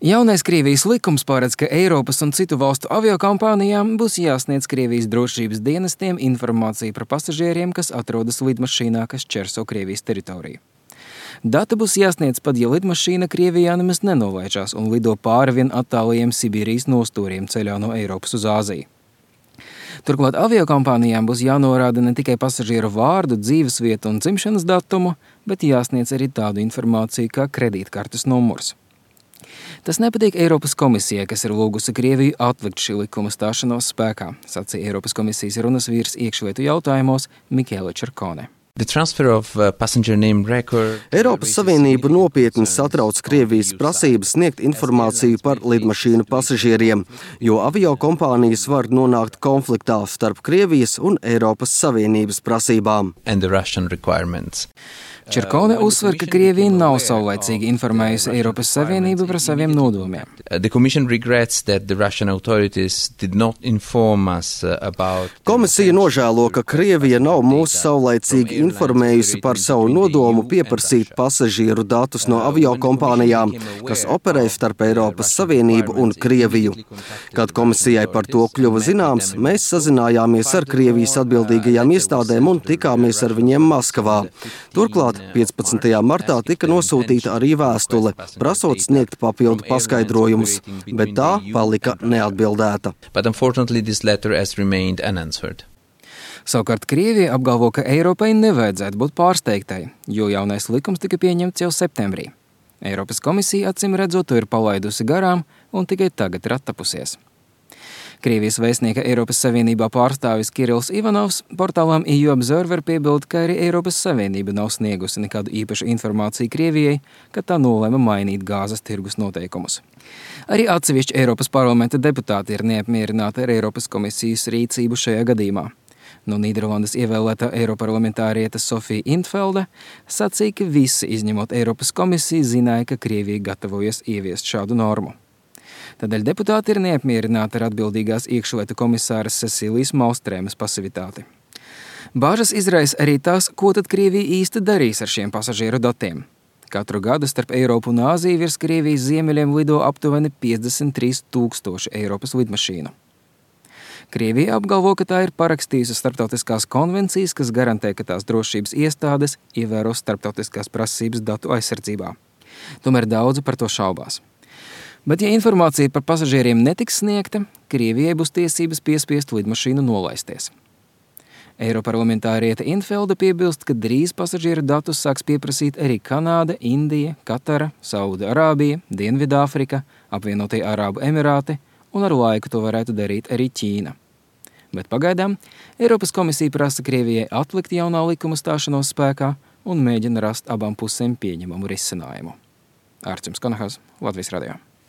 Jaunais Krievijas likums paredz, ka Eiropas un citu valstu aviokompānijām būs jāsniedz Krievijas drošības dienestiem informācija par pasažieriem, kas atrodas lidmašīnā, kas čerso Krievijas teritoriju. Dati būs jāsniedz pat, ja lidmašīna Krievijā nemaz nenolaižās un lido pāri vien attālajiem Sibīrijas nostūriem ceļā no Eiropas uz Āziju. Turklāt aviokompānijām būs jānorāda ne tikai pasažieru vārdu, dzīvesvietu un dzimšanas datumu, bet jāsniedz arī tādu informāciju kā kredītkartes numurs. Tas nepatīk Eiropas komisijai, kas ir lūgusi Krieviju atlikt šī likuma stāšanos spēkā, sacīja Eiropas komisijas runas vīrs iekšlietu jautājumos Michele Čerkone. Eiropas Savienību nopietni satrauc Krievijas prasības sniegt informāciju par lidmašīnu pasažieriem, jo aviokompānijas var nonākt konfliktā starp Krievijas un Eiropas Savienības prasībām. Čerkone uzsver, ka Krievija nav saulaicīgi informējusi Eiropas Savienību par saviem nodomiem. Komisija nožēlo, ka Krievija nav mūs saulaicīgi informējusi par savu nodomu pieprasīt pasažieru datus no aviokompānijām, kas operē starp Eiropas Savienību un Krieviju. Kad komisijai par to kļuva zināms, mēs sazinājāmies ar Krievijas atbildīgajām iestādēm un tikāmies ar viņiem Maskavā. Turklāt 15. martā tika nosūtīta arī vēstule, prasot sniegt papildu paskaidrojumus, bet tā palika neatbildēta. Savukārt Krievija apgalvo, ka Eiropai nevajadzētu būt pārsteigtai, jo jaunais likums tika pieņemts jau septembrī. Eiropas komisija acīm redzot to ir palaidusi garām un tikai tagad ir attapusies. Krievijas vēstnieka Eiropas Savienībā pārstāvis Kirills Ivanovs portālām EU Observer piebilda, ka arī Eiropas Savienība nav sniegusi nekādu īpašu informāciju Krievijai, kad tā nolēma mainīt gāzes tirgus noteikumus. Arī atsevišķi Eiropas parlamenta deputāti ir neapmierināti ar Eiropas komisijas rīcību šajā gadījumā. No Nīderlandes ievēlētā eiroparlamentāriete Sofija Intvelde sacīja, ka visi, izņemot Eiropas komisiju, zināja, ka Krievija gatavojas ieviest šādu normu. Tādēļ deputāti ir neapmierināti ar atbildīgās iekšlietu komisāras Cecīlijas Malstrēmas pasivitāti. Bāžas izraisa arī tās, ko tad Krievija īsti darīs ar šiem pasažieru datiem. Katru gadu starp Eiropu un Āziju virs Krievijas ziemeļiem lido aptuveni 53 000 Eiropas lidmašīnu. Krievija apgalvo, ka tā ir parakstījusi starptautiskās konvencijas, kas garantē, ka tās drošības iestādes ievēros starptautiskās prasības datu aizsardzībā. Tomēr daudzi par to šaubās. Bet, ja informācija par pasažieriem netiks sniegta, Krievijai būs tiesības piespiest lidmašīnu nolaisties. Eiroparlamentāriete Intvelde piebilst, ka drīz pasažieru datus sāks pieprasīt arī Kanāda, Indija, Katara, Sauda-Arābija, Dienvidāfrika, Apvienotie Arābu Emirāti un ar laiku to varētu darīt arī Ķīna. Bet pagaidām Eiropas komisija prasa Krievijai atlikt jaunā likuma stāšanos spēkā un mēģina rast abām pusēm pieņemamu risinājumu. Ārčums Kanahas, Latvijas radio.